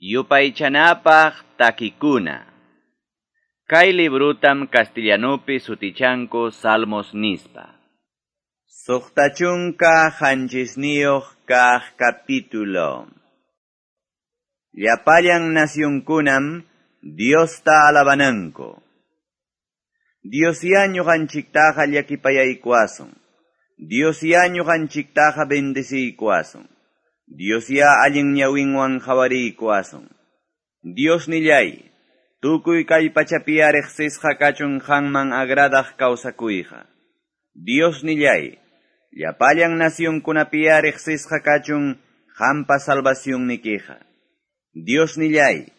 Yupaychanapaq takikuna. Kay librutam castellanupi sutichanku Salmos nispa. 67 kaq capítulo. Llapallan nacionkunam Diosta alabananku. Diosyá ñuqanchiktaqa llakipayaykuwasun. Diosyá ñuqanchiktaqa bendeciykuwasun. Diosyá allin ñawinwan qhawariykuwasun. Diosnillay, tukuy kay pachapiya riqsisqa kachun qanman agradaq kawsakuyqa. Diosnillay, llapallan nacionkunapiya riqsisqa kachun qampa salvacionnikiqa. Diosnillay,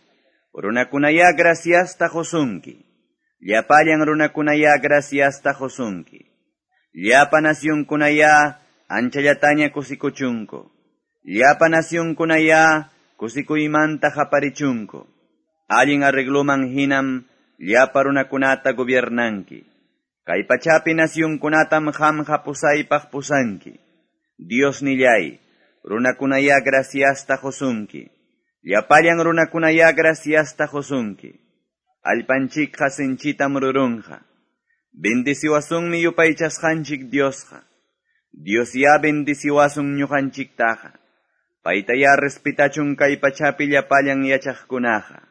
runakunaya graciasta qusunki. Llapallan runakunaya graciasta qusunki. Llapa nacionkunaya anchallataña kusikuchunku. Llapa nacionkunaya kusikuymanta qaparichunku. Allin arregloman hinam llapa runakunata gobiernanki. Kay pachapi nacionkunatam qamqa pusaypaq pusanki. Diosnillay, runakunaya graciasta qusunki. Llapallan runakunaya graciasta qusunki. Allpanchikqa sinchitam rurunqa. Bendiciwasunmi yupaychasqanchik Diosqa. Diosyá bendiciwasun ñuqanchiktaqa. Paytayá respetachun kay pachapi llapallan yachaqkunaqa.